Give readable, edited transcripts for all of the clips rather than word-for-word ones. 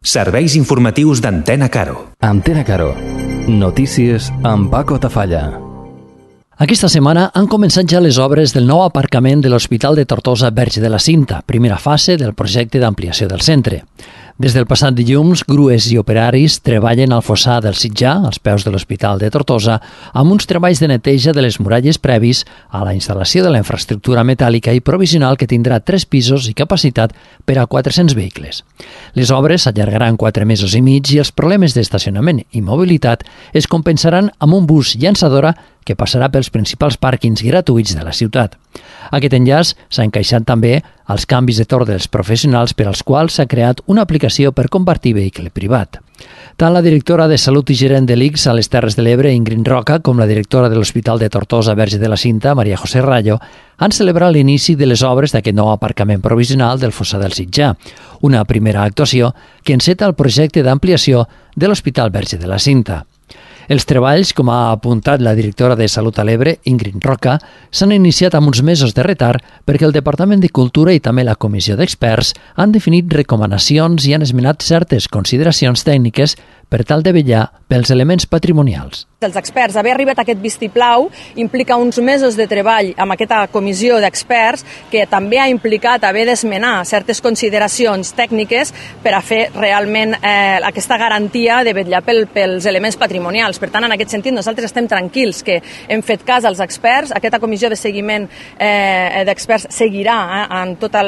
Serveis informatius d'Antena Caro. Antena Caro. Notícies amb Paco Tafalla. Aquesta setmana han començat ja les obres del nou aparcament de l'Hospital de Tortosa Verge de la Cinta, primera fase del projecte d'ampliació del centre. Des del passat dilluns, grues i operaris treballen al fossar del Sitjar, als peus de l'Hospital de Tortosa, amb uns treballs de neteja de les muralles previs a la instal·lació de la infraestructura metàl·lica i provisional que tindrà 3 pisos i capacitat per a 400 vehicles. Les obres s'allargaran 4 mesos i mig i els problemes d'estacionament i mobilitat es compensaran amb un bus llançadora que passarà pels principals pàrquings gratuïts de la ciutat. Aquest enllaç s'ha encaixat també als canvis de torn dels professionals per als quals s'ha creat una aplicació per compartir vehicle privat. Tant la directora de Salut i gerent de l'ICS a les Terres de l'Ebre, Ingrid Roca, com la directora de l'Hospital de Tortosa Verge de la Cinta, Maria José Rayo, han celebrat l'inici de les obres d'aquest nou aparcament provisional del fossar del Sitjar, una primera actuació que enceta el projecte d'ampliació de l'Hospital Verge de la Cinta. Els treballs, com ha apuntat la directora de Salut a l'Ebre, Ingrid Roca, s'han iniciat amb uns mesos de retard perquè el Departament de Cultura i també la Comissió d'Experts han definit recomanacions i han esmenat certes consideracions tècniques per tal de vetllar pels elements patrimonials. Els experts, haver arribat a aquest vistiplau implica uns mesos de treball amb aquesta comissió d'experts que també ha implicat haver d'esmenar certes consideracions tècniques per a fer realment aquesta garantia de vetllar pels elements patrimonials. Per tant, en aquest sentit, nosaltres estem tranquils que hem fet cas als experts. Aquesta comissió de seguiment d'experts seguirà en tota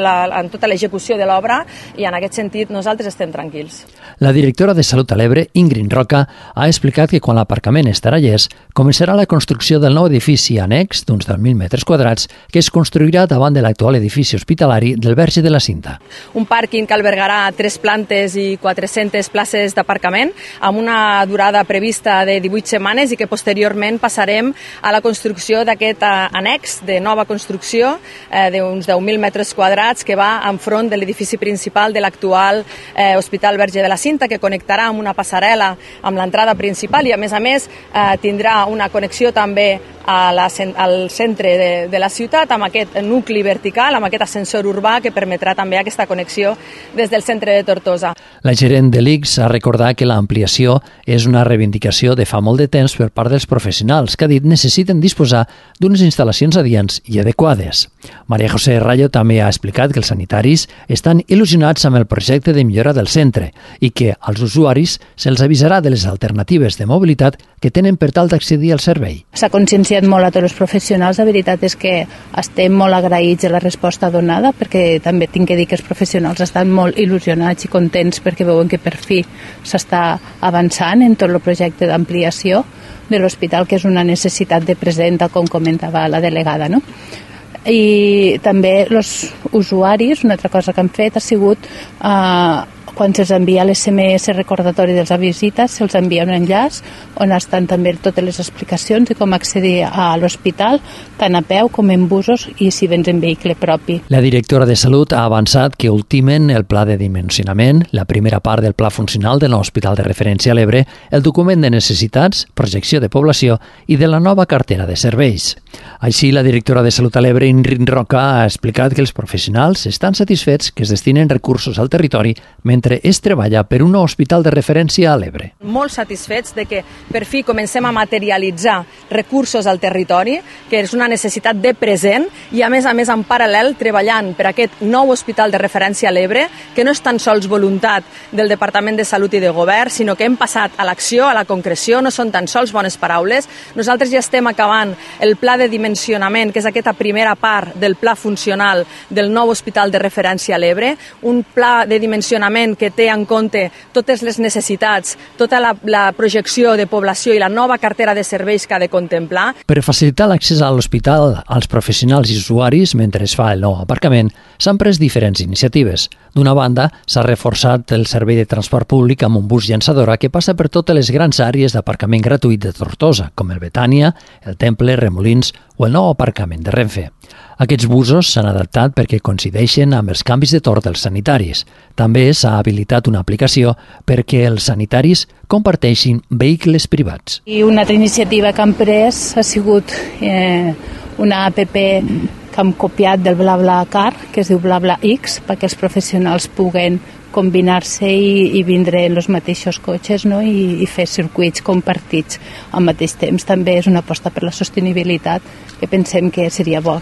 l'execució de l'obra i en aquest sentit nosaltres estem tranquils. La directora de Salut a l'Ebre, Ingrid Roca, ha explicat que quan l'aparcament estarà llest, començarà la construcció del nou edifici annex d'uns 10.000 metres quadrats que es construirà davant de l'actual edifici hospitalari del Verge de la Cinta. Un pàrquing que albergarà 3 plantes i 400 places d'aparcament amb una durada prevista de 18 setmanes i que posteriorment passarem a la construcció d'aquest annex de nova construcció d'uns 10.000 metres quadrats que va enfront de l'edifici principal de l'actual Hospital Verge de la Cinta, que connectarà amb una passarel·la amb l'entrada principal i a més tindrà una connexió també al centre de la ciutat amb aquest nucli vertical, amb aquest ascensor urbà que permetrà també aquesta connexió des del centre de Tortosa. La gerent de l'ICS ha recordat que l'ampliació és una reivindicació de fa molt de temps per part dels professionals que ha dit necessiten disposar d'unes instal·lacions adients i adequades. Maria José Rayo també ha explicat que els sanitaris estan il·lusionats amb el projecte de millora del centre i que als usuaris se'ls avisarà de les alternatives de mobilitat que tenen per tal d'accedir al servei. S'ha conscienciat molt a tots els professionals. La veritat és que estem molt agraïts de la resposta donada perquè també tinc que dir que els professionals estan molt il·lusionats i contents perquè veuen que per fi s'està avançant en tot el projecte d'ampliació de l'hospital, que és una necessitat de present, com comentava la delegada, no? I també els usuaris, una altra cosa que han fet ha sigut quan se'ls envia l'SMS recordatori de les visites, se'ls envia un enllaç on estan també totes les explicacions de com accedir a l'hospital, tant a peu com en busos i si vens en vehicle propi. La directora de Salut ha avançat que ultimen el pla de dimensionament, la primera part del pla funcional del nou hospital de referència a l'Ebre, el document de necessitats, projecció de població i de la nova cartera de serveis. Així, la directora de Salut a l'Ebre, Ingrid Roca, ha explicat que els professionals estan satisfets que es destinen recursos al territori mentre es treballa per un nou hospital de referència a l'Ebre. Molt satisfets de que per fi comencem a materialitzar recursos al territori, que és una necessitat de present i a més en paral·lel treballant per aquest nou hospital de referència a l'Ebre, que no és tan sols voluntat del Departament de Salut i de Govern, sinó que hem passat a l'acció, a la concreció, no són tan sols bones paraules. Nosaltres ja estem acabant el pla de dimensionament, que és aquesta primera part del pla funcional del nou hospital de referència a l'Ebre, un pla de dimensionament que té en compte totes les necessitats, tota la projecció de població i la nova cartera de serveis que ha de contemplar. Per facilitar l'accés a l'hospital als professionals i usuaris mentre es fa el nou aparcament, s'han pres diferents iniciatives. D'una banda, s'ha reforçat el servei de transport públic amb un bus llançadora que passa per totes les grans àrees d'aparcament gratuït de Tortosa, com el Betània, el Temple, Remolins o el nou aparcament de Renfe. Aquests busos s'han adaptat perquè coincideixen amb els canvis de torn dels sanitaris. També s'ha habilitat una aplicació perquè els sanitaris comparteixin vehicles privats. I una altra iniciativa que han pres ha sigut una app que hem copiat del BlaBlaCar, que es diu BlaBlaX, perquè els professionals puguen combinar-se i vindre en els mateixos cotxes, no? I fer circuits compartits al mateix temps. També és una aposta per la sostenibilitat que pensem que seria bo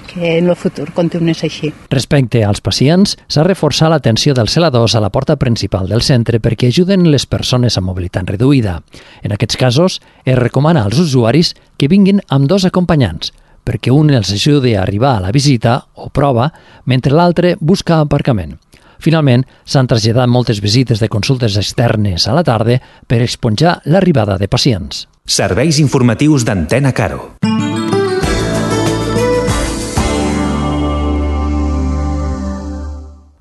que en el futur continués així. Respecte als pacients, s'ha reforçat l'atenció dels celadors a la porta principal del centre perquè ajuden les persones amb mobilitat reduïda. En aquests casos, es recomana als usuaris que vinguin amb 2 acompanyants, perquè un els ajudi a arribar a la visita o prova, mentre l'altre busca aparcament. Finalment, s'han traslladat moltes visites de consultes externes a la tarda per esponjar l'arribada de pacients. Serveis informatius d'Antena Caro.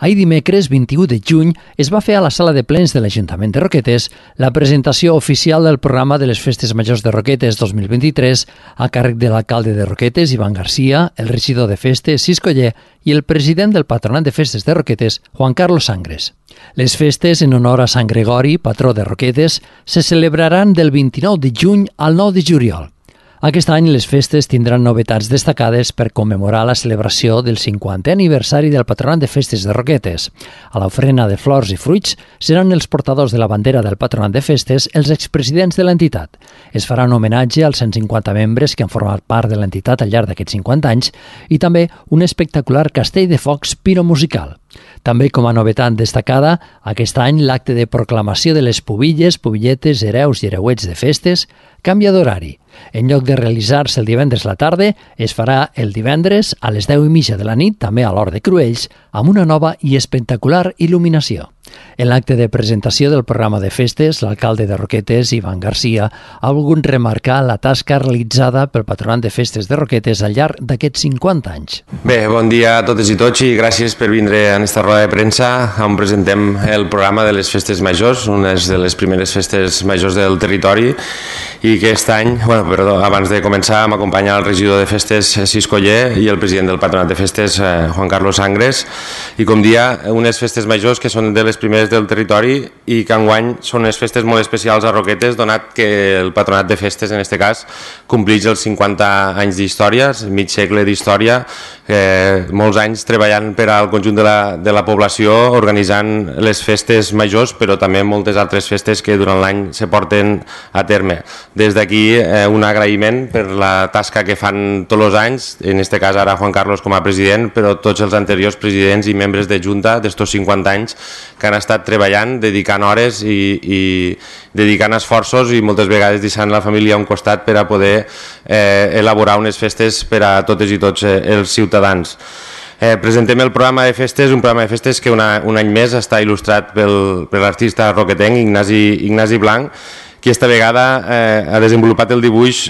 Ahir dimecres 21 de juny es va fer a la sala de plens de l'Ajuntament de Roquetes la presentació oficial del programa de les Festes Majors de Roquetes 2023 a càrrec de l'alcalde de Roquetes, Ivan Garcia, el regidor de Festes, Cis Coller, i el president del Patronat de Festes de Roquetes, Juan Carlos Sangres. Les festes en honor a Sant Gregori, patró de Roquetes, se celebraran del 29 de juny al 9 de juliol. Aquest any les festes tindran novetats destacades per commemorar la celebració del 50è aniversari del Patronat de Festes de Roquetes. A l'ofrena de flors i fruits seran els portadors de la bandera del Patronat de Festes els expresidents de l'entitat. Es farà un homenatge als 150 membres que han format part de l'entitat al llarg d'aquests 50 anys i també un espectacular castell de focs piromusical. També com a novetat destacada, aquest any l'acte de proclamació de les pubilles, pubilletes, hereus i hereuets de festes canvia d'horari. En lloc de realitzar-se el divendres a la tarda, es farà el divendres a les 10:30 de la nit, també a l'hora de Cruells, amb una nova i espectacular il·luminació. En l'acte de presentació del programa de festes, l'alcalde de Roquetes, Ivan Garcia, ha volgut remarcar la tasca realitzada pel Patronat de Festes de Roquetes al llarg d'aquests 50 anys. Bé, bon dia a totes i tots i gràcies per vindre a aquesta roda de premsa on presentem el programa de les Festes Majors, una de les primeres festes majors del territori, i aquest any, abans de començar, m'acompanya el regidor de Festes, Cis Coller, i el president del Patronat de Festes, Juan Carlos Sangres, i com dia, unes festes majors que són de les primeres del territori i que enguany són unes festes molt especials a Roquetes, donat que el Patronat de Festes, en aquest cas, compleix els 50 anys d'història, mig segle d'història, molts anys treballant per al conjunt de la població, organitzant les festes majors, però també moltes altres festes que durant l'any se porten a terme. Des d'aquí un agraïment per la tasca que fan tots els anys, en aquest cas ara Juan Carlos com a president, però tots els anteriors presidents i membres de Junta d'estos 50 anys que han estat treballant, dedicant hores i dedicant esforços i moltes vegades deixant la família a un costat per a poder elaborar unes festes per a totes i tots els ciutadans. Presentem el programa de festes, un programa de festes que un any més està il·lustrat per l'artista roquetenc Ignasi Blanc, que esta vegada ha desenvolupat el dibuix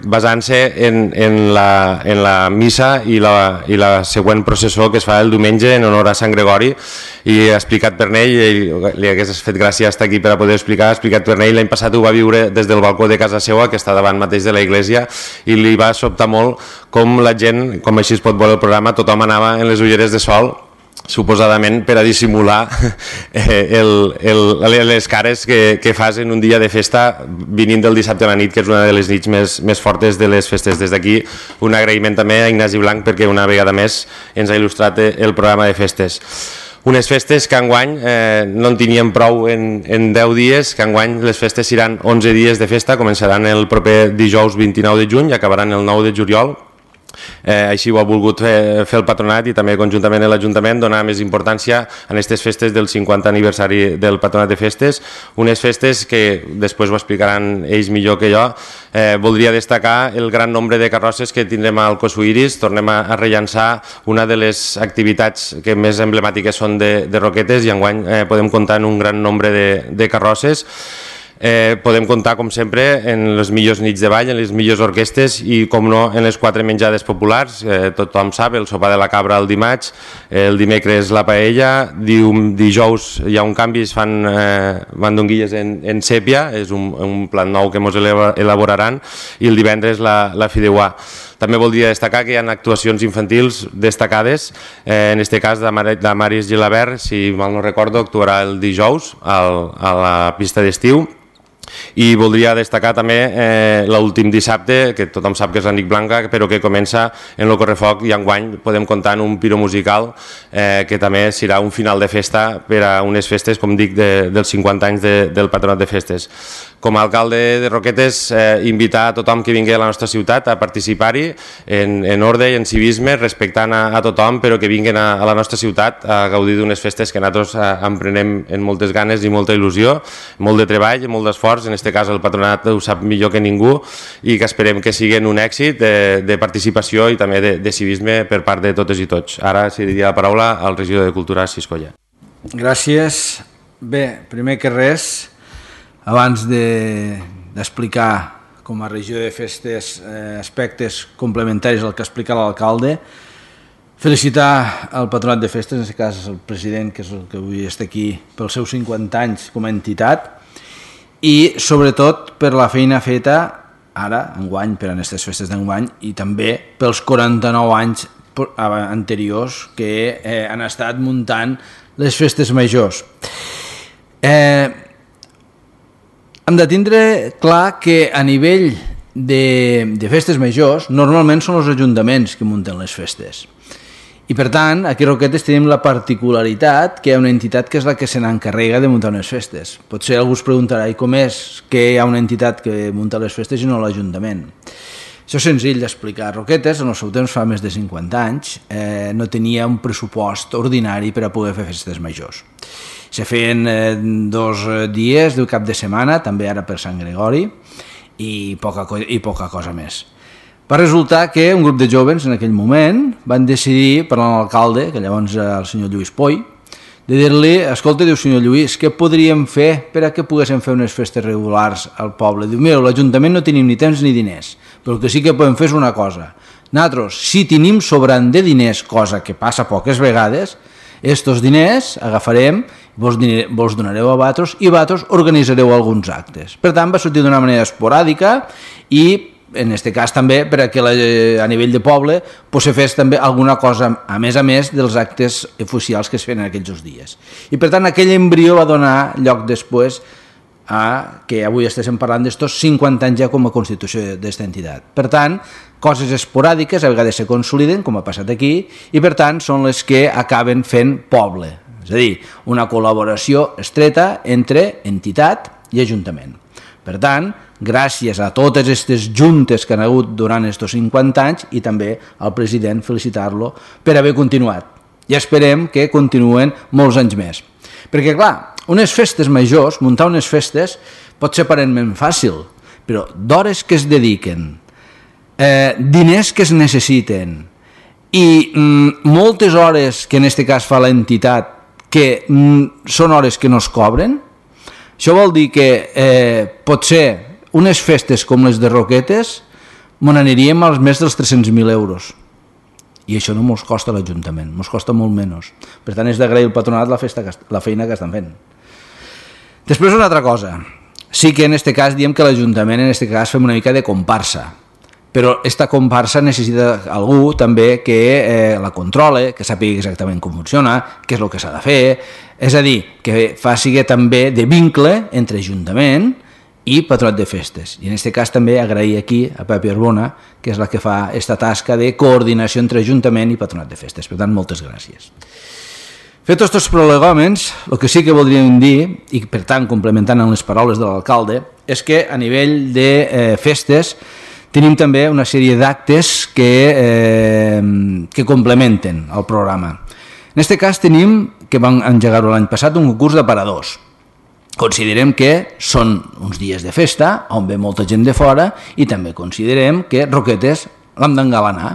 basant-se en la missa i la següent processó que es fa el diumenge en honor a Sant Gregori, i ha explicat per ell, li hagués fet gràcia estar aquí per a poder explicar, ha explicat per ell, l'any passat ho va viure des del balcó de casa seva, que està davant mateix de la iglesia, i li va sobtar molt com la gent, com així es pot veure el programa, tothom anava en les ulleres de sol, suposadament per a dissimular les cares que fas en un dia de festa venint del dissabte a la nit, que és una de les nits més fortes de les festes. Des d'aquí un agraïment també a Ignasi Blanc perquè una vegada més ens ha il·lustrat el programa de festes. Unes festes que enguany no en teníem prou en 10 dies, que enguany les festes seran 11 dies de festa, començaran el proper dijous 29 de juny i acabaran el 9 de juliol. Així ho ha volgut fer el Patronat i també conjuntament l'Ajuntament, donar més importància a aquestes festes del 50 aniversari del Patronat de Festes, unes festes que després ho explicaran ells millor que jo. Voldria destacar el gran nombre de carrosses que tindrem al Cosuiris. Tornem a rellançar una de les activitats que més emblemàtiques són de Roquetes i enguany podem comptar en un gran nombre de carrosses. Podem comptar, com sempre, en les millors nits de ball, en les millors orquestes i, com no, en les 4 menjades populars. Tothom sap, el sopar de la cabra el dimarts, el dimecres la paella, dijous hi ha un canvi, es fan mandonguilles en sèpia, és un plat nou que ens elaboraran, i el divendres la fideuà. També voldria destacar que hi ha actuacions infantils destacades, en aquest cas de Maris Gilabert, si mal no recordo, actuarà el dijous a la pista d'estiu, I voldria destacar també l'últim dissabte, que tothom sap que és la nit blanca, però que comença en el Correfoc, i enguany podem comptar en un piro musical que també serà un final de festa per a unes festes, com dic, dels 50 anys del Patronat de Festes. Com a alcalde de Roquetes, invitar a tothom que vingui a la nostra ciutat a participar-hi en ordre i en civisme, respectant a tothom, però que vinguin a la nostra ciutat a gaudir d'unes festes que nosaltres emprenem amb moltes ganes i molta il·lusió, molt de treball i molt d'esforç. En aquest cas el Patronat ho sap millor que ningú i que esperem que siguin un èxit de participació i també de civisme per part de totes i tots. Ara cediria la paraula al regidor de Cultura, Siscolla. Gràcies. Bé, primer que res, abans d'explicar com a regió de festes aspectes complementaris al que explica l'alcalde, felicitar el Patronat de Festes, en aquest cas el president, que és el que avui està aquí, pels seus 50 anys com a entitat, i sobretot per la feina feta ara, enguany, per a aquestes festes d'enguany, i també pels 49 anys anteriors que han estat muntant les festes majors. Hem de tindre clar que a nivell de festes majors normalment són els ajuntaments que munten les festes. I per tant, aquí a Roquetes tenim la particularitat que hi ha una entitat que és la que se n'encarrega de muntar unes festes. Potser algú es preguntarà, i com és que hi ha una entitat que munta les festes i no l'Ajuntament? Això és senzill d'explicar. Roquetes, en el seu temps, fa més de 50 anys, no tenia un pressupost ordinari per a poder fer festes majors. Se feien 2 dies del cap de setmana, també ara per Sant Gregori, i poca cosa més. Va resultar que un grup de jóvens en aquell moment van decidir, parlant amb l'alcalde, que llavors era el senyor Lluís Poy, de dir-li, escolta, diu, senyor Lluís, què podríem fer per a que poguéssim fer unes festes regulars al poble? Diu, mira, l'Ajuntament no tenim ni temps ni diners, però el que sí que podem fer és una cosa. Nosaltres, si tenim sobrant de diners, cosa que passa poques vegades, estos diners agafarem, vos donareu a vosaltres i vosaltres organitzareu alguns actes. Per tant, va sortir d'una manera esporàdica i en aquest cas també perquè a nivell de poble se fes també alguna cosa a més dels actes oficials que es feien en aquells dies. I per tant aquell embrió va donar lloc després a que avui estéssim parlant d'estos 50 anys ja com a constitució d'esta entitat. Per tant, coses esporàdiques a vegades se consoliden, com ha passat aquí, i per tant són les que acaben fent poble. És a dir, una col·laboració estreta entre entitat i ajuntament. Per tant, gràcies a totes aquestes juntes que han hagut durant aquests 50 anys i també al president felicitar-lo per haver continuat. I esperem que continuen molts anys més. Perquè, clar, unes festes majors, muntar unes festes, pot ser aparentment fàcil, però d'hores que es dediquen, diners que es necessiten i moltes hores que en aquest cas fa l'entitat que són hores que no es cobren, això vol dir que potser unes festes com les de Roquetes me n'aniríem als més dels 300.000 euros. I això no ens costa a l'Ajuntament, ens costa molt menys. Per tant, és d'agrair al Patronat la feina que estan fent. Després una altra cosa. Sí que en aquest cas diem que l'Ajuntament en aquest cas fem una mica de comparsa, però aquesta comparsa necessita algú també que la controle, que sàpiga exactament com funciona, què és el que s'ha de fer, és a dir, que faci també de vincle entre Ajuntament i Patronat de Festes. I en aquest cas també agrair aquí a Pepi Arbona, que és la que fa aquesta tasca de coordinació entre Ajuntament i Patronat de Festes. Per tant, moltes gràcies. Fet tots els prolegòmens, el que sí que voldríem dir, i per tant complementant amb les paraules de l'alcalde, és que a nivell de festes tenim també una sèrie d'actes que complementen el programa. En aquest cas tenim, que vam engegar-ho l'any passat, un concurs d'aparadors. Considerem que són uns dies de festa on ve molta gent de fora i també considerem que Roquetes l'hem d'engalanar.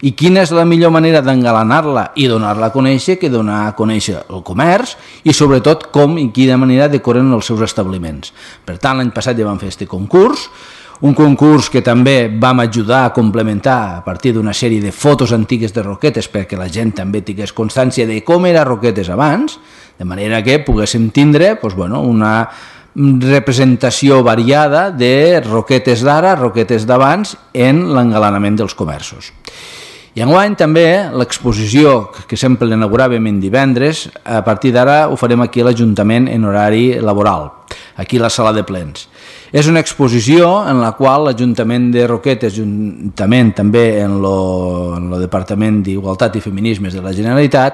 I quina és la millor manera d'engalanar-la i donar-la a conèixer que donar a conèixer el comerç i sobretot com i quina manera decoren els seus establiments. Per tant, l'any passat ja vam fer aquest concurs, un concurs que també vam ajudar a complementar a partir d'una sèrie de fotos antigues de Roquetes perquè la gent també tingués constància de com era Roquetes abans, de manera que poguéssim tindre una representació variada de Roquetes d'ara, Roquetes d'abans en l'engalanament dels comerços. I enguany també l'exposició que sempre l'inauguràvem en divendres, a partir d'ara ho farem aquí a l'Ajuntament en horari laboral. aquí a la sala de plens. És una exposició en la qual l'Ajuntament de Roquetes, juntament també en el Departament d'Igualtat i Feminismes de la Generalitat,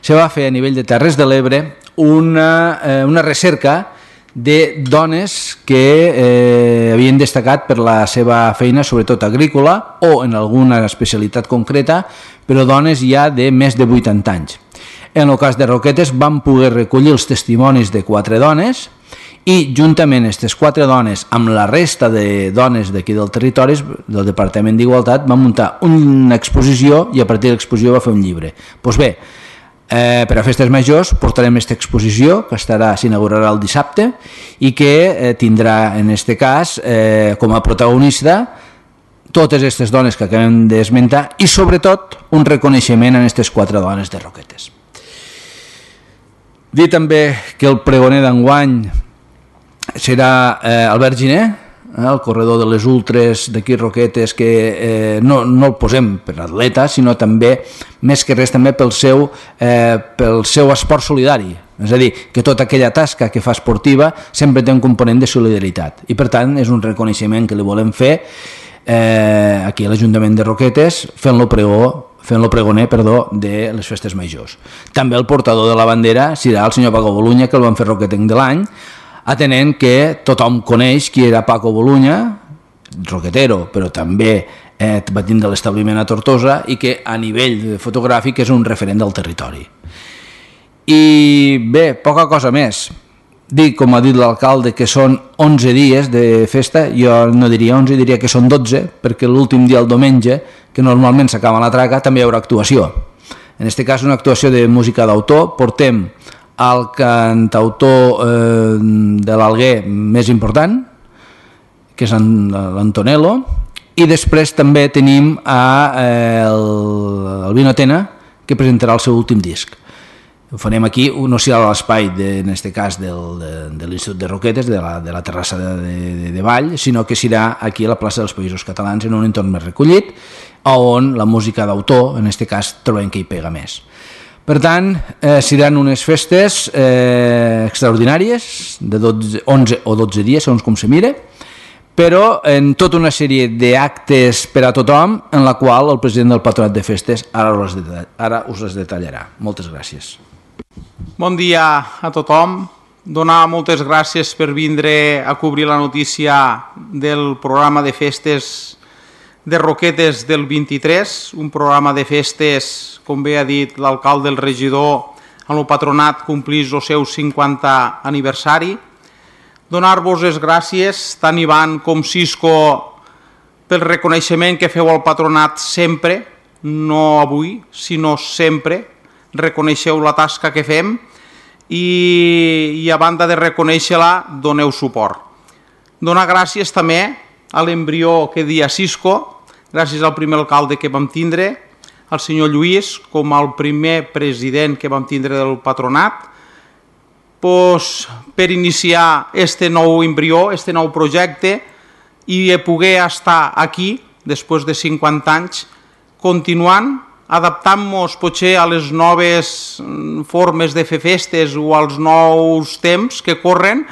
se va fer a nivell de Terres de l'Ebre una recerca de dones que havien destacat per la seva feina, sobretot agrícola o en alguna especialitat concreta, però dones ja de més de 80 anys. En el cas de Roquetes vam poder recollir els testimonis de 4 dones i juntament aquestes 4 dones amb la resta de dones d'aquí del territori del Departament d'Igualtat van muntar una exposició i a partir de l'exposició va fer un llibre. Doncs bé, per a Festes Majors portarem aquesta exposició que s'inaugurarà el dissabte i que tindrà en aquest cas com a protagonista totes aquestes dones que acabem d'esmentar i sobretot un reconeixement a aquestes 4 dones de Roquetes. Dir també que el pregoner d'enguany serà Albert Giner, el corredor de les ultres d'aquí Roquetes, que no el posem per atleta, sinó també, més que res, també pel seu esport solidari. És a dir, que tota aquella tasca que fa esportiva sempre té un component de solidaritat. I, per tant, és un reconeixement que li volem fer aquí a l'Ajuntament de Roquetes, fent-lo pregoner de les Festes Majors. També el portador de la bandera serà el senyor Paco Bolunya, que el van fer roquetenc de l'any, atenent que tothom coneix qui era Paco Bolunya, roquetero, però també va tindre l'establiment a Tortosa i que a nivell fotogràfic és un referent del territori. I bé, poca cosa més. Dic, com ha dit l'alcalde, que són 11 dies de festa, jo no diria 11, diria que són 12, perquè l'últim dia, el diumenge, que normalment s'acaba la traca, també hi haurà actuació. En aquest cas, una actuació de música d'autor. Portem el cantautor de l'Alguer més important, que és l'Antonello, i després també tenim el Vino Tena, que presentarà el seu últim disc. Ho farem aquí, no serà a l'espai, en aquest cas, de l'Institut de Roquetes, de la terrassa de Vall, sinó que serà aquí a la plaça dels Països Catalans, en un entorn més recollit, on la música d'autor, en aquest cas, trobem que hi pega més. Per tant, seran unes festes extraordinàries, de 11 o 12 dies, segons com se mire, però en tota una sèrie d'actes per a tothom, en la qual el president del Patronat de Festes ara us les detallarà. Moltes gràcies. Bon dia a tothom. Donar moltes gràcies per vindre a cobrir la notícia del programa de festes de Roquetes del 23, un programa de festes, com bé ha dit l'alcalde, el regidor, amb el patronat complís el seu 50 aniversari. Donar-vos les gràcies, tant Ivan com Cisco, pel reconeixement que feu al patronat sempre, no avui, sinó sempre. Reconeixeu la tasca que fem i a banda de reconèixer-la, doneu suport. Donar gràcies també a l'embrió que dia Cisco, gràcies al primer alcalde que vam tindre, al senyor Lluís, com al primer president que vam tindre del patronat, per iniciar este nou embrió, este nou projecte, i poder estar aquí, després de 50 anys, continuant, adaptant-nos potser a les noves formes de fer festes o als nous temps que corren,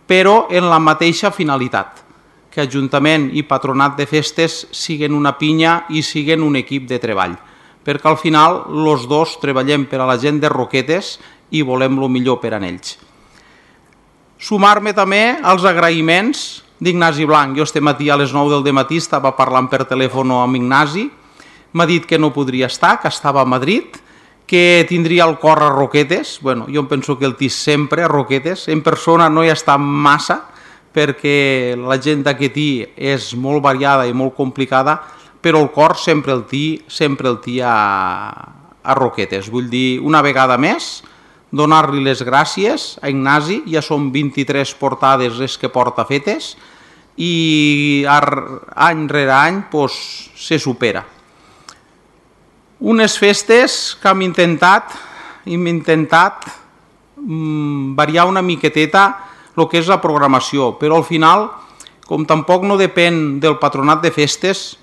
però en la mateixa finalitat, que Ajuntament i Patronat de Festes siguen una pinya i siguen un equip de treball, perquè al final els dos treballem per a la gent de Roquetes i volem el millor per a ells. Sumar-me també als agraïments d'Ignasi Blanc. Jo este matí a les 9 del matí estava parlant per telèfon amb Ignasi, m'ha dit que no podria estar, que estava a Madrid, que tindria el cor a Roquetes. Bueno, jo em penso que el té sempre a Roquetes. En persona no hi està massa, perquè la gent d'aquí és molt variada i molt complicada, però el cor sempre el té a Roquetes. Vull dir, una vegada més, donar-li les gràcies a Ignasi. Ja són 23 portades les que porta fetes i any rere any se supera. Unes festes que hem intentat variar una miqueteta el que és la programació, però al final, com tampoc no depèn del Patronat de Festes,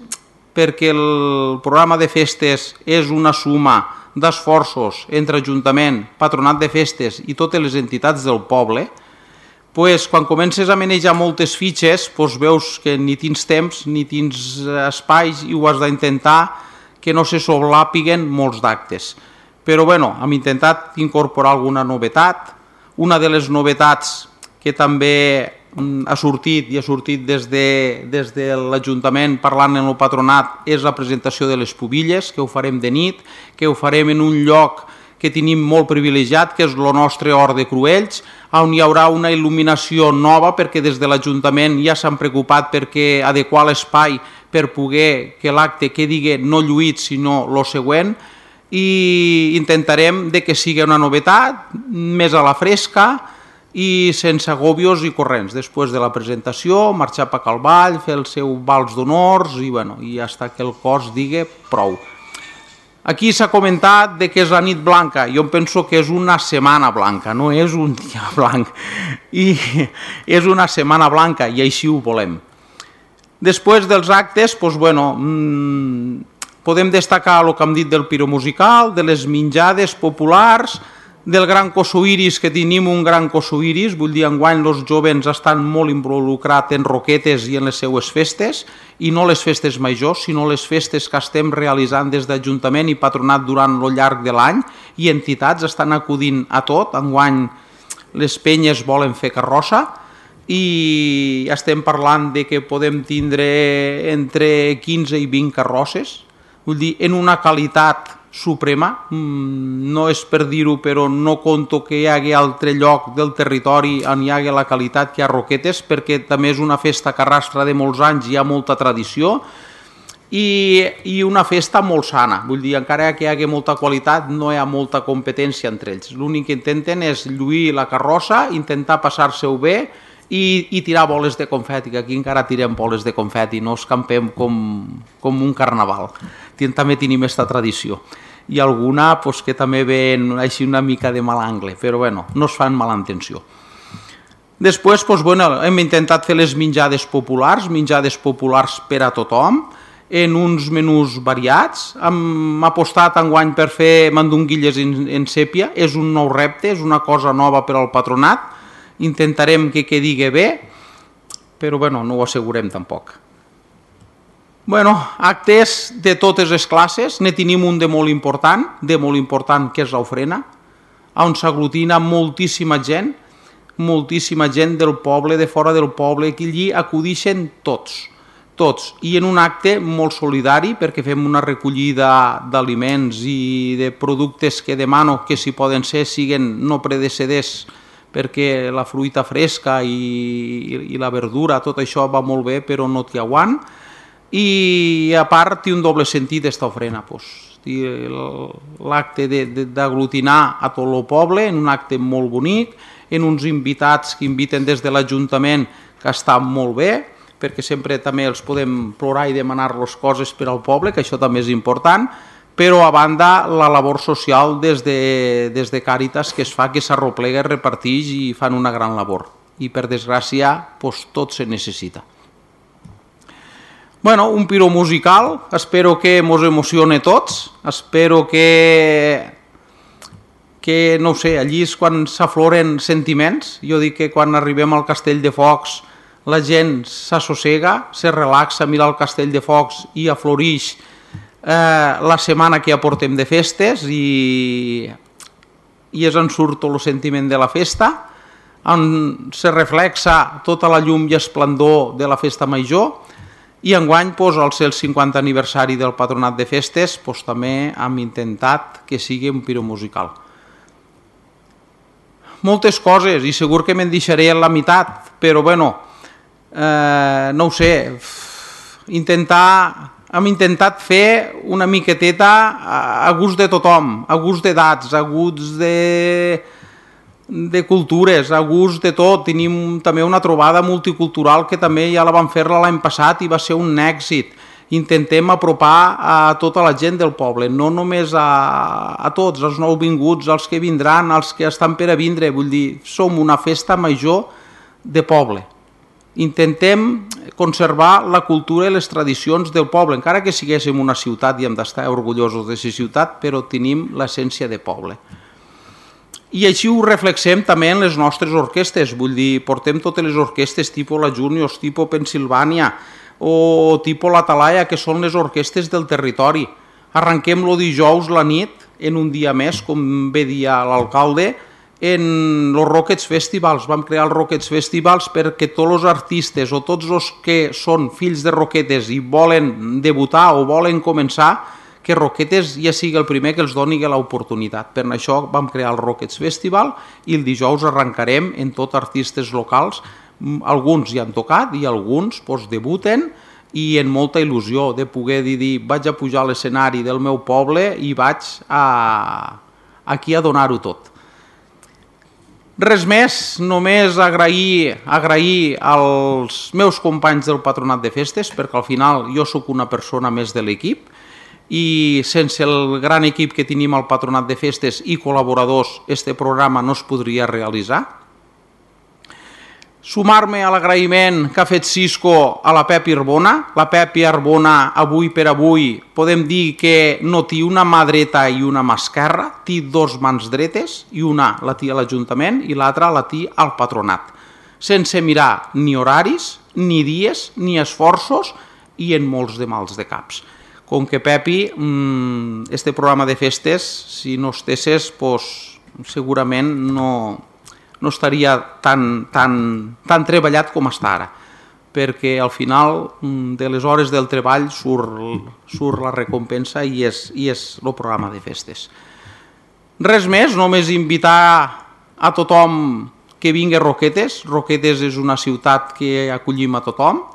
perquè el programa de festes és una suma d'esforços entre Ajuntament, Patronat de Festes i totes les entitats del poble, quan comences a manejar moltes fitxes, veus que ni tens temps ni tens espais i ho has d'intentar que no se sobrelapiguen molts d'actes. Però hem intentat incorporar alguna novetat. Una de les novetats que també ha sortit des de l'Ajuntament parlant en el patronat és la presentació de les pubilles, que ho farem de nit, que ho farem en un lloc que tenim molt privilegiat, que és el nostre Hort de Cruells, on hi haurà una il·luminació nova, perquè des de l'Ajuntament ja s'han preocupat perquè adequar l'espai per poder que l'acte quedi no lluït, sinó el següent, i intentarem que sigui una novetat, més a la fresca i sense agòbios i corrents. Després de la presentació, marxar per Cal Vall, fer el seu vals d'honors i ja està, que el cos digui prou. Aquí s'ha comentat que és la nit blanca. Jo penso que és una setmana blanca, no és un dia blanc. I és una setmana blanca i així ho volem. Després dels actes, podem destacar el que hem dit del piromusical, de les menjades populars, del gran cosoiris, que tenim un gran cosoiris, vull dir, enguany els jovens estan molt involucrats en roquetes i en les seues festes, i no les festes majors, sinó les festes que estem realitzant des d'Ajuntament i Patronat durant el llarg de l'any, i entitats estan acudint a tot. Enguany les penyes volen fer carrossa, i estem parlant que podem tindre entre 15 i 20 carrosses, vull dir, en una qualitat suprema. No és per dir-ho, però no conto que hi hagi altre lloc del territori on hi hagi la qualitat que hi ha Roquetes, perquè també és una festa que arrastra de molts anys, hi ha molta tradició i una festa molt sana. Vull dir, encara que hi hagi molta qualitat, no hi ha molta competència entre ells. L'únic que intenten és lluir la carrossa, intentar passar-se-ho bé i tirar boles de confeti, que aquí encara tirem boles de confeti, no escampem com un carnaval. També tenim aquesta tradició. I alguna que també ven així una mica de mal angle, però no es fan mala intenció. Després hem intentat fer les menjades populars per a tothom, en uns menús variats. Hem apostat enguany per fer mandonguilles en sèpia, és un nou repte, és una cosa nova per al patronat. Intentarem que quedi bé, però no ho assegurem tampoc. Actes de totes les classes, ne tenim un de molt important, que és l'ofrena, on s'aglutina moltíssima gent del poble, de fora del poble, que allí acudixen tots, i en un acte molt solidari, perquè fem una recollida d'aliments i de productes que demano que, si poden ser, siguen no predeceders, perquè la fruita fresca i la verdura, tot això va molt bé, però no t'hi aguant. I a part té un doble sentit aquesta ofrena, l'acte d'aglutinar a tot el poble en un acte molt bonic, en uns invitats que inviten des de l'Ajuntament, que està molt bé, perquè sempre també els podem plorar i demanar-los coses per al poble, que això també és important, però a banda la labor social des de Càritas que es fa, que s'arroplega, reparteix i fan una gran labor. I per desgràcia tot se necessita. Un piro musical, espero que mos emocione tots, espero que no ho sé, allí és quan s'afloren sentiments. Jo dic que quan arribem al Castell de Focs la gent s'assossega, se relaxa, mira el Castell de Focs i afloreix la setmana que ja portem de festes i és on surt tot el sentiment de la festa, on se reflexa tota la llum i esplendor de la festa major. I enguany, al ser el 50 aniversari del Patronat de Festes, també hem intentat que sigui un piro musical. Moltes coses, i segur que me'n deixaré a la meitat, però no ho sé, hem intentat fer una miqueteta a gust de tothom, a gust d'edats, a gust de cultures, a gust de tot. Tenim també una trobada multicultural que també ja la vam fer l'any passat i va ser un èxit. Intentem apropar a tota la gent del poble, no només a tots, els nouvinguts, els que vindran, els que estan per a vindre. Vull dir, som una festa major de poble. Intentem conservar la cultura i les tradicions del poble, encara que siguéssim una ciutat i hem d'estar orgullosos de ser ciutat, però tenim l'essència de poble. I així ho reflexem també en les nostres orquestes, vull dir, portem totes les orquestes tipus la Juniors, tipus Pensilvània o tipus la Talaia, que són les orquestes del territori. Arrenquem el dijous la nit, en un dia més, com bé dia l'alcalde, en els Rockets Festivals. Vam crear els Rockets Festivals perquè tots els artistes o tots els que són fills de roquetes i volen debutar o volen començar, que Roquetes ja sigui el primer que els doni l'oportunitat. Per això vam crear el Rockets Festival i el dijous arrencarem en tot artistes locals. Alguns ja han tocat i alguns debuten i en molta il·lusió de poder dir vaig a pujar a l'escenari del meu poble i vaig aquí a donar-ho tot. Res més, només agrair als meus companys del Patronat de Festes, perquè al final jo sóc una persona més de l'equip i sense el gran equip que tenim al Patronat de Festes i col·laboradors, este programa no es podria realitzar. Sumar-me a l'agraïment que ha fet Cisco a la Pepi Arbona. La Pepi Arbona, avui per avui, podem dir que no té una mà dreta i una mà esquerra, té dos mans dretes, i una la té a l'Ajuntament i l'altra la té al Patronat, sense mirar ni horaris, ni dies, ni esforços i en molts de mals de caps. Com que Pepi, este programa de festes, si no estesses, segurament no estaria tan treballat com està ara, perquè al final de les hores del treball surt la recompensa i és el programa de festes. Res més, només invitar a tothom que vingui a Roquetes. Roquetes és una ciutat que acollim a tothom,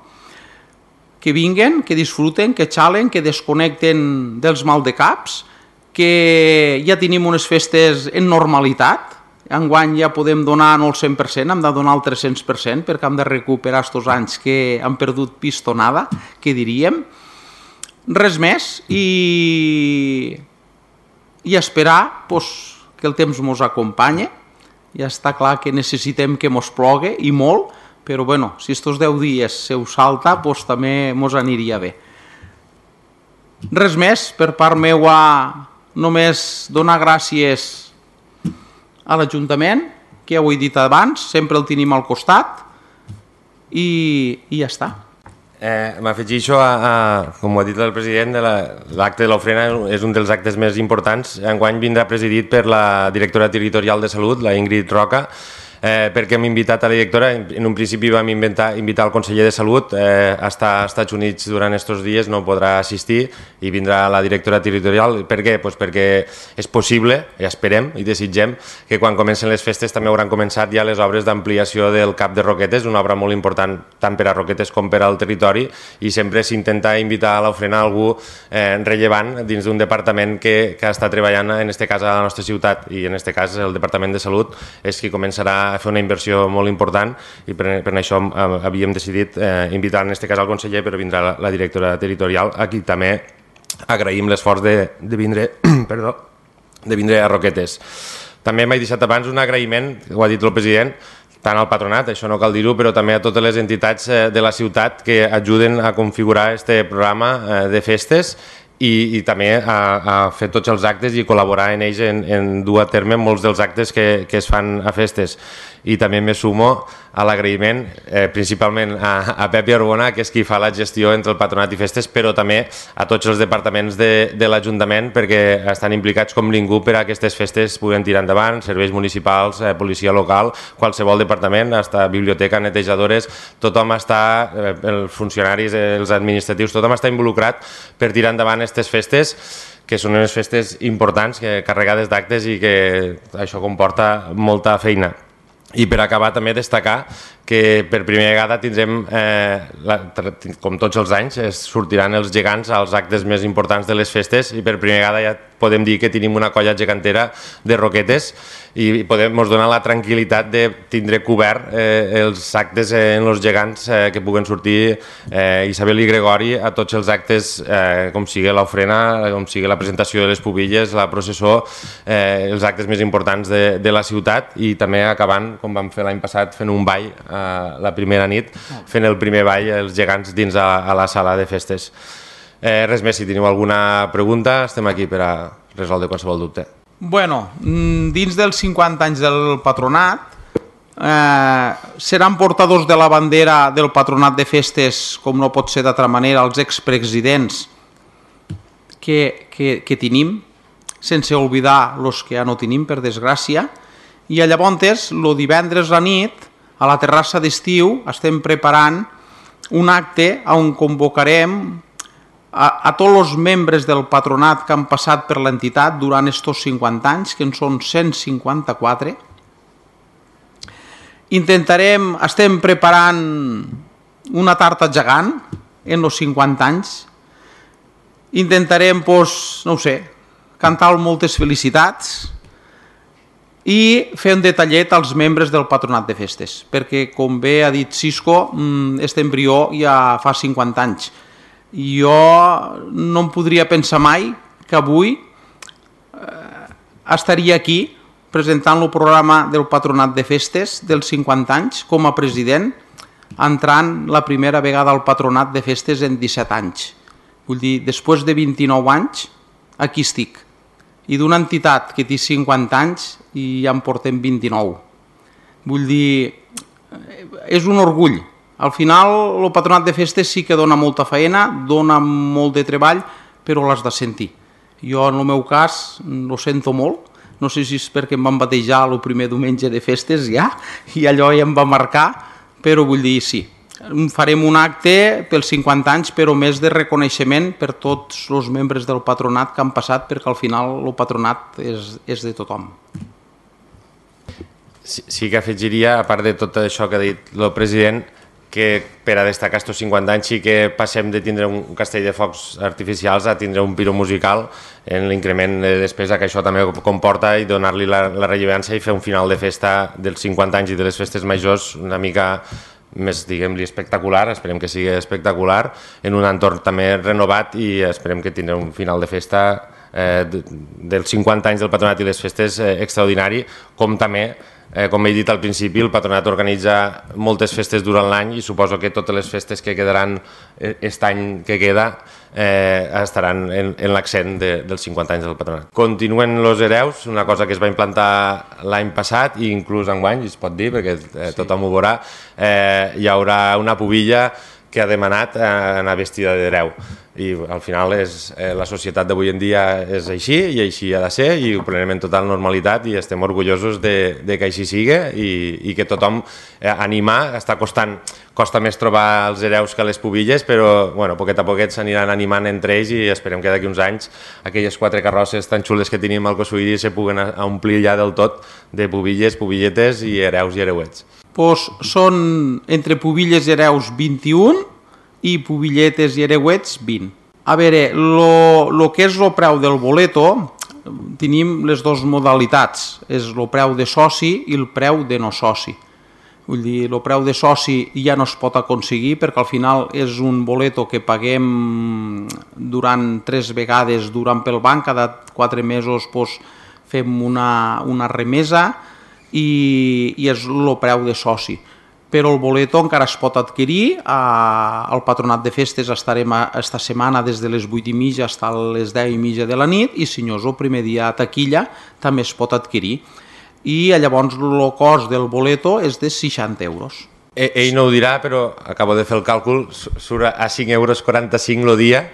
que vinguen, que disfruten, que xalen, que desconnecten dels maldecaps, que ja tenim unes festes en normalitat. Enguany ja podem donar no el 100%, hem de donar el 300%, perquè hem de recuperar aquests anys que han perdut pistonada, que diríem. Res més, i esperar que el temps ens acompanye. Ja està clar que necessitem que ens plogui, i molt, però bueno, si estos 10 dies se us salta, també ens aniria bé. Res més, per part meua, només donar gràcies a l'Ajuntament, que ja ho he dit abans, sempre el tenim al costat, i ja està. M'afegixo com ho ha dit el president, l'acte de l'ofrena és un dels actes més importants. Enguany vindrà presidit per la directora territorial de Salut, la Ingrid Roca, perquè hem invitat a la directora. En un principi vam invitar el conseller de Salut, està als Estats Units durant aquests dies, no podrà assistir, i vindrà la directora territorial. Per què? Perquè és possible, i esperem i desitgem, que quan comencen les festes també hauran començat ja les obres d'ampliació del CAP de Roquetes, una obra molt important tant per a Roquetes com per al territori, i sempre s'intenta invitar a l'ofrena algú rellevant dins d'un departament que està treballant, en aquest cas a la nostra ciutat, i en aquest cas el Departament de Salut és qui començarà a fer una inversió molt important, i per això havíem decidit invitar en aquest cas al conseller, però vindrà la directora territorial, a qui també agraïm l'esforç de vindre a Roquetes. També m'he deixat abans un agraïment, ho ha dit el president, tant al patronat, això no cal dir-ho, però també a totes les entitats de la ciutat que ajuden a configurar este programa de festes, i també a fer tots els actes i col·laborar en ells en dur a terme molts dels actes que es fan a festes. I també me sumo a l'agraïment principalment a Pepi Arbona, que és qui fa la gestió entre el patronat i festes, però també a tots els departaments de l'Ajuntament, perquè estan implicats com ningú per a aquestes festes puguen tirar endavant, serveis municipals, policia local, qualsevol departament, hasta biblioteca, netejadores, tothom està, els funcionaris, els administratius, tothom està involucrat per tirar endavant aquestes festes, que són unes festes importants, carregades d'actes, i que això comporta molta feina. I per acabar també destacar que per primera vegada tindrem, com tots els anys, sortiran els gegants als actes més importants de les festes, i per primera vegada ja podem dir que tenim una colla gegantera de Roquetes, i ens dona la tranquil·litat de tindre cobert els actes en els gegants que puguen sortir Isabel i Gregori a tots els actes, com sigui l'ofrena, com sigui la presentació de les pubilles, la processó, els actes més importants de la ciutat, i també acabant, com vam fer l'any passat, fent un ball la primera nit, fent el primer ball els gegants dins a la sala de festes. Res més, si teniu alguna pregunta estem aquí per a resoldre qualsevol dubte. Bueno, dins dels 50 anys del patronat, seran portadors de la bandera del patronat de festes, com no pot ser d'altra manera, els expresidents que tenim, sense oblidar els que ja no tenim, per desgràcia, i llavors, el divendres a nit, a la terrassa d'estiu, estem preparant un acte on convocarem a tots els membres del patronat que han passat per l'entitat durant estos 50 anys, que en són 154. Estem preparant una tarta gegant en els 50 anys. Intentarem, no ho sé, cantar moltes felicitats i fer un detallet als membres del patronat de festes, perquè, com bé ha dit Cisco, este embrió ja fa 50 anys. Jo no em podria pensar mai que avui estaria aquí presentant el programa del patronat de festes dels 50 anys com a president, entrant la primera vegada al patronat de festes en 17 anys. Vull dir, després de 29 anys, aquí estic. I d'una entitat que té 50 anys i ja en portem 29. Vull dir, és un orgull. Al final, el patronat de festes sí que dona molta feina, dona molt de treball, però l'has de sentir. Jo, en el meu cas, ho sento molt. No sé si és perquè em van batejar el primer diumenge de festes ja, i allò ja em va marcar, però vull dir, sí. Farem un acte pels 50 anys, però més de reconeixement per tots els membres del patronat que han passat, perquè al final el patronat és de tothom. Sí que afegiria, a part de tot això que ha dit el president, que per a destacar aquests 50 anys sí que passem de tindre un castell de focs artificials a tindre un piro musical en l'increment de despesa que això també comporta i donar-li la rellevància i fer un final de festa dels 50 anys i de les festes majors una mica més, diguem-li, espectacular, esperem que sigui espectacular, en un entorn també renovat i esperem que tindrem un final de festa dels 50 anys del patronat i les festes extraordinari, com també com he dit al principi, el patronat organitza moltes festes durant l'any i suposo que totes les festes que quedaran aquest any que queda estaran en l'accent dels 50 anys del patronat. Continuen els hereus, una cosa que es va implantar l'any passat i inclús enguany, es pot dir, perquè tothom ho veurà, hi haurà una pubilla que ha demanat anar vestida d'hereu. I al final la societat d'avui en dia és així i així ha de ser i ho prenem en total normalitat i estem orgullosos de que així sigui i que tothom animar, costa més trobar els hereus que les pubilles, però poquet a poquet s'aniran animant entre ells i esperem que d'aquí uns anys aquelles 4 carrosses tan xules que tenim al Cosuïri se puguen omplir ja del tot de pubilles, pubilletes i hereus i hereuets. Són entre pubilles i hereus 21 i pubilletes i hereuets 20. A veure, el que és el preu del boleto, tenim les dues modalitats, és el preu de soci i el preu de no soci. Vull dir, el preu de soci ja no es pot aconseguir perquè al final és un boleto que paguem durant 3 vegades durant pel banc, cada 4 mesos fem una remesa i és el preu de soci. Però el boleto encara es pot adquirir, al patronat de festes estarem esta setmana des de les 8:30 fins a les 10:30 de la nit i si no és el primer dia a taquilla també es pot adquirir. I llavors el cost del boleto és de 60 euros. Ell no ho dirà, però acabo de fer el càlcul, surt a 5,45 € el dia.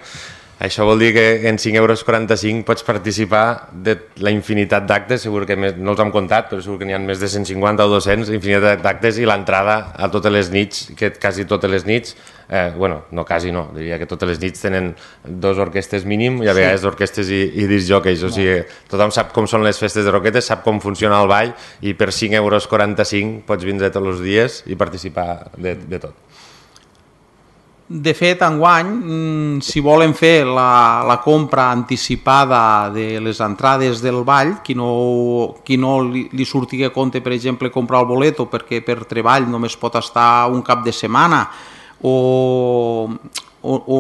Això vol dir que en 5,45 € pots participar de la infinitat d'actes, segur que no els hem comptat, però segur que n'hi ha més de 150 o 200, infinitat d'actes i l'entrada a totes les nits, que quasi totes les nits, no quasi no, diria que totes les nits tenen 2 orquestes mínim i a vegades orquestes i discjòqueis, o sigui, tothom sap com són les festes de Roquetes, sap com funciona el ball i per 5,45 € pots vindre tots els dies i participar de tot. De fet, enguany, si volen fer la compra anticipada de les entrades del ball, qui no li surti a compte, per exemple, comprar el boleto perquè per treball només pot estar un cap de setmana o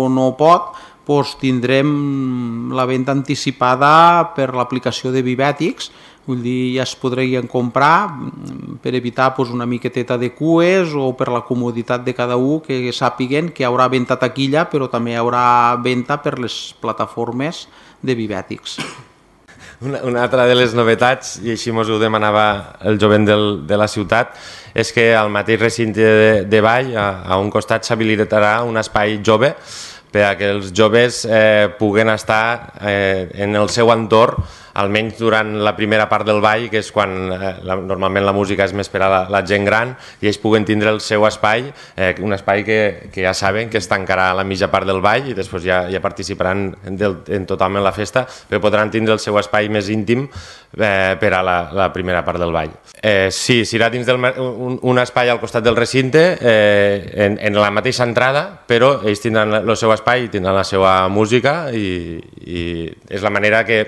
no pot, doncs tindrem la venda anticipada per l'aplicació de Vivètics. Vull dir, ja es podrien comprar per evitar una miqueteta de cues o per la comoditat de cada un que sàpiguen que hi haurà venda a taquilla però també hi haurà venda per les plataformes de Vivètics. una altra de les novetats, i així mos ho demanava el jovent de la ciutat, és que al mateix recinte de ball, a un costat s'habilitarà un espai jove per a que els joves puguen estar en el seu entorn, almenys durant la primera part del ball, que és quan normalment la música és més per a la gent gran, i ells puguen tindre el seu espai, un espai que ja saben que es tancarà a la mitja part del ball i després ja participaran totalment en la festa, però podran tindre el seu espai més íntim per a la primera part del ball. Sí, serà dins un espai al costat del recinte, en la mateixa entrada, però ells tindran el seu espai, tindran la seva música i és la manera que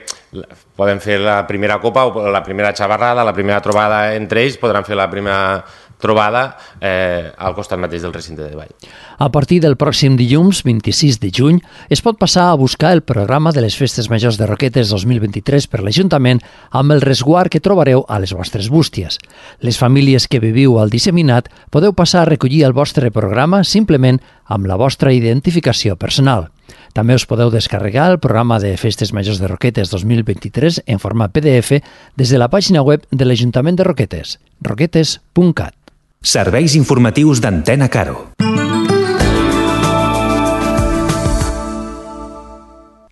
poden fer la primera copa o la primera xavarrada, la primera trobada entre ells, podran fer la primera trobada al costat mateix del recinte de ball. A partir del pròxim dilluns, 26 de juny, es pot passar a buscar el programa de les Festes Majors de Roquetes 2023 per l'Ajuntament amb el resguard que trobareu a les vostres bústies. Les famílies que viviu al disseminat podeu passar a recollir el vostre programa simplement amb la vostra identificació personal. També us podeu descarregar el programa de Festes Majors de Roquetes 2023 en format PDF des de la pàgina web de l'Ajuntament de Roquetes, roquetes.cat. Serveis informatius d'Antena Caro.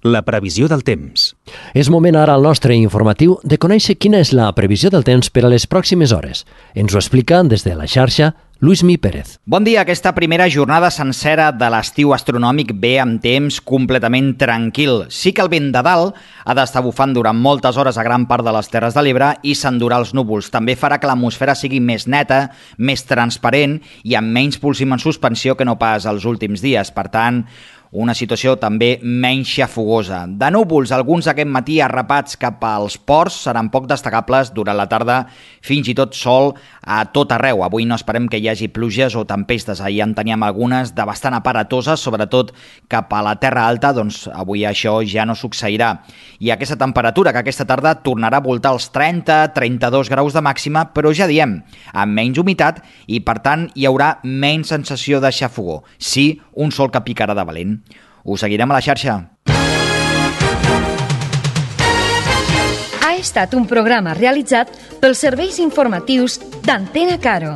La previsió del temps. És moment ara al nostre informatiu de conèixer quina és la previsió del temps per a les pròximes hores. Ens ho explica des de la xarxa Luismi Pérez. Bon dia. Aquesta primera jornada sencera de l'estiu astronòmic ve amb temps completament tranquil. Sí que el vent de dalt ha d'estar bufant durant moltes hores a gran part de les Terres de l'Ebre i s'endurà els núvols. També farà que l'atmosfera sigui més neta, més transparent i amb menys polsim en suspensió que no pas els últims dies. Per tant, una situació també menys xafogosa. De núvols, alguns aquest matí arrapats cap als ports seran poc destacables durant la tarda, fins i tot sol a tot arreu. Avui no esperem que hi hagi pluges o tempestes. Ahir en teníem algunes de bastant aparatoses, sobretot cap a la Terra Alta, doncs avui això ja no succeirà. I aquesta temperatura que aquesta tarda tornarà a voltar els 30-32 graus de màxima, però ja diem, amb menys humitat i per tant hi haurà menys sensació de xafogor. Sí, un sol que picarà de valent. Us seguirem a la xarxa. Ha estat un programa realitzat pels serveis informatius d'Antena Caro.